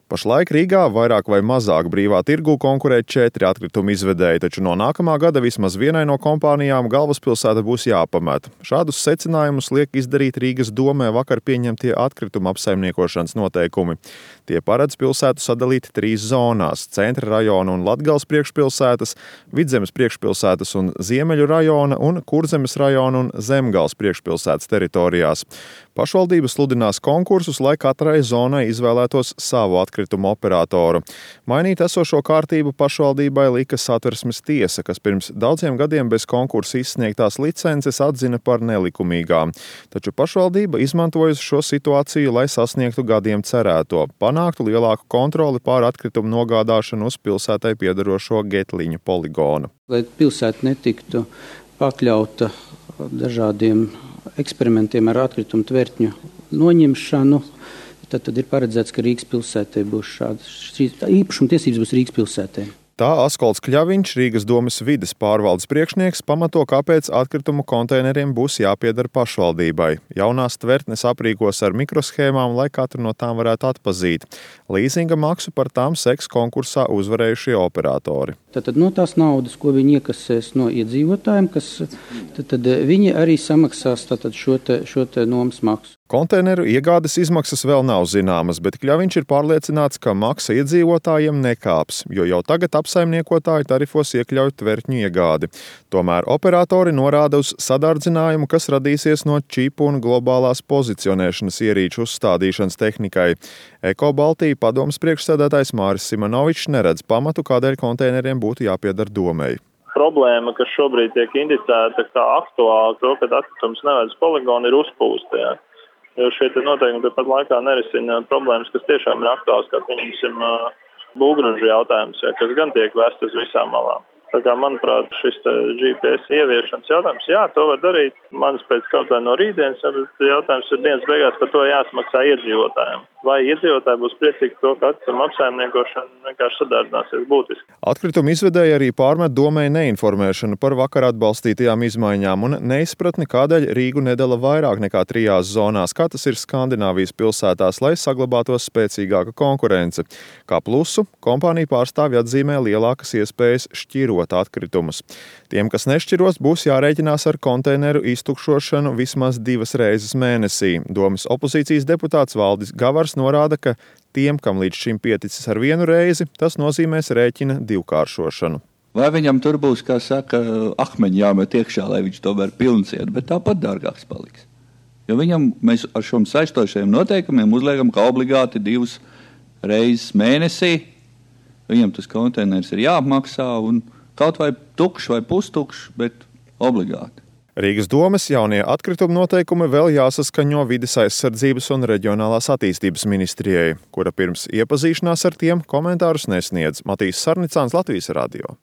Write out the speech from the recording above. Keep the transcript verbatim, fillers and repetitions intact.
Pašlaik Rīgā vairāk vai mazāk brīvā tirgū konkurē četri atkritumu izvedēji, taču no nākamā gada vismaz vienai no kompānijām galvaspilsēta būs jāpamet. Šādus secinājumus liek izdarīt Rīgas domē vakar pieņemtie atkrituma apsaimniekošanas noteikumi. Tie paredz pilsētu sadalīt trīs zonās – Centra rajona un Latgales priekšpilsētas, Vidzemes priekšpilsētas un Ziemeļu rajona un Kurzemes rajona un Zemgales priekšpilsētas teritorijās. Pašvaldības sludinās konkursus, lai katrai zonai izvēlētos savu atkritumu operatoru. Mainīt esošo kārtību pašvaldībai lika Satversmes tiesa, kas pirms daudziem gadiem bez konkursa izsniegtās licences atzina par nelikumīgām. Taču pašvaldība izmantojusi šo situāciju, lai sasniegtu gadiem cerēto, panāktu lielāku kontroli pār atkritumu nogādāšanu uz pilsētai piederošo Getliņu poligonu. Lai pilsēta netiktu pakļauta dažādiem eksperimentiem ar atkritumu tvertņu noņemšanu, tad, tad ir paredzēts, ka Rīgas pilsētē būs šādas īpašuma tiesības būs Rīgas pilsētē. Tā Askolds Kļaviņš, Rīgas domes vides pārvaldes priekšnieks, pamato, kāpēc atkritumu konteineriem būs jāpieder pašvaldībai. Jaunās tvertnes aprīkos ar mikroshēmām, lai katru no tām varētu atpazīt. Līzinga maksu par tām seks konkursā uzvarējušie operatori. Tātad no tās naudas, ko viņi iekasēs no iedzīvotājiem, kas, tad, tad viņi arī samaksās tātad šo te, šo te nomas maksu. Konteineru iegādes izmaksas vēl nav zināmas, bet Kļaviņš ir pārliecināts, ka maksa iedzīvotājiem nekāps, jo jau tagad apsaimniekotāji tarifos iekļauj tvertņu iegādi. Tomēr operatori norāda uz sadardzinājumu, kas radīsies no čipu un globālās pozicionēšanas ierīču uzstādīšanas tehnikai. Eko Baltija padomes priekšsēdētājs Māris Simonovičs neredz pamatu, kādēļ konteineriem būtu jāpieder domei. Problēma, kas šobrīd tiek indicēta kā aktuāla, to, ka atkritums neved uz poligonu, ir uzpūsta. Jā. Jo šie noteikumi tāpat laikā nerisina problēmas, kas tiešām ir aktuāls, kā pieņemsim būvgrunžu jautājums, jā, kas gan tiek vest uz visām malām. Tā kā, manuprāt, šis G P S ieviešanas jautājums, jā, to var darīt. Manis pēc kaut vai no rītdienas, jautājums ir dienas beigās, par to jāsmaksā iedzīvotājiem. Vai iedzīvotāji būs priecīgi to, ka atkritumu apsaimniekošana vienkārši sadārdzināsies būtiski. Atkritumu izvedēji arī pārmet domai neinformēšanu par vakar atbalstītajām izmaiņām un neizpratni, kādēļ Rīgu nedala vairāk nekā trijās zonās, kā tas ir Skandināvijas pilsētās, lai saglabātos spēcīgāka konkurence. Kā plusu, kompānija pārstāvji atzīmē lielākas iespējas šķirot atkritumus. Tiem, kas nešķiros, būs jārēķinās ar konteineru iztukšošanu vismaz divas reizes mēnesī. Domes opozīcijas deputāts Valdis Gavars norāda, ka tiem, kam līdz šim pieticis ar vienu reizi, tas nozīmēs rēķina divkāršošanu. Vai viņam tur būs, kā saka, akmeņi jāmet iekšā, lai viņš tomēr pilns iet, bet tāpat dārgāks paliks. Jo viņam mēs ar šiem saistošajiem noteikumiem uzliekam, ka obligāti divas reizes mēnesī viņam tas konteiners ir jāapmaksā un kaut vai tukšs vai pustukšs, bet obligāti. Rīgas domes jaunie atkrituma noteikumi vēl jāsaskaņo Vides aizsardzības un reģionālās attīstības ministrijai, kura pirms iepazīšanās ar tiem komentārus nesniedz. Matīs Sarnicāns, Latvijas radio.